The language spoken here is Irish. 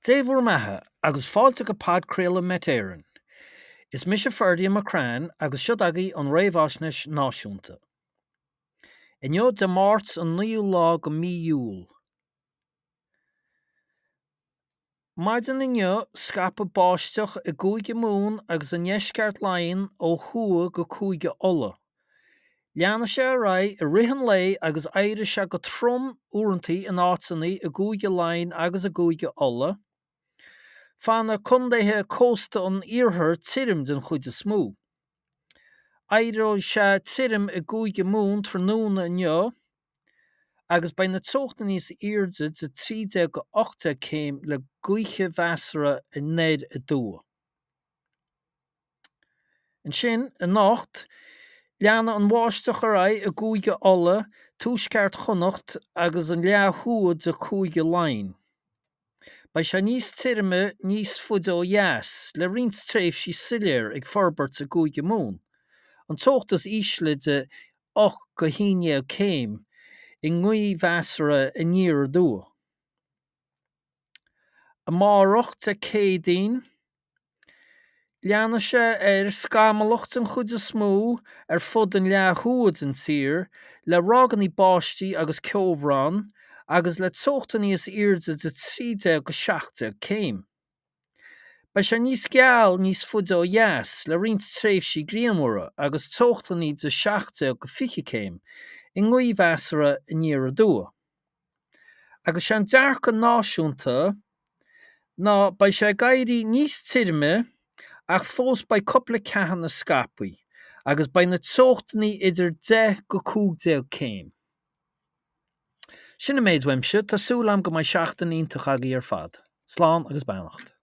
Dé bhur mbeatha, agus fáilte go podchraoladh Met Éireann. Is mise Ferdia McCrann agus seo agaibh an Réamhaisnéis Náisiúnta. Inniu Dé Máirt an 9ú lá go mí Iúil. Maidin inniu, scaipeadh báisteach i gCúige Mumhan agus i ndeisceart Laighean ó thuaidh go Cúige Uladh. Leanfaidh sé ar aghaidh i rith an lae agus éireoidh sé go trom uaireanta in áiteanna i gCúige Laighean agus i gCúige Uladh. Fanfaidh contaetha cósta an iarthair tirim den chuid is mó. Éireoidh sé tirim i gCúige Mumhan tráthnóna inniu. agus beidh na teochtaí níos airde de 13 go 18 céim le gaoth mheasartha anoir aduaidh. Ansin, anocht, leanfaidh an bháisteach ar aghaidh i gCúige Uladh, tuaisceart Chonnacht agus an leath thuaidh de Chúige Laighean. Beidh sé níos tirime níos faide ó dheas, le roinnt tréimhsí soiléir ag forbairt i gCúige Mumhan. An teocht is ísle de 8 go 11 céim i ngaoth mheasartha aniar aduaidh. Amárach, Dé Céadaoin, Leanfaidh sé air scamallach den chuid is mó ar fud an leath thuaidh den tír, le ráigeanna báistí agus ceobhrán, agus le teochtaí níos airde de 13 go 17 céim. Beidh sé níos geal níos faide ó dheas, le roinnt tréimhsí grianmhara, agus teochtaí de 17 go 20 céim, i ngaoth mheasartha aniar aduaidh. Agus sé an dearcadh náisiúnta ná beidh sé ag éirí níos tirime ach fós beidh cúpla ceathanna scaipthe agus beidh na teochtanna idir 10 go 15 céim. Sin an méid uaimse, tá súil agam go mbeidh seachtain iontach agaibh ar fad. Slán agus beannacht.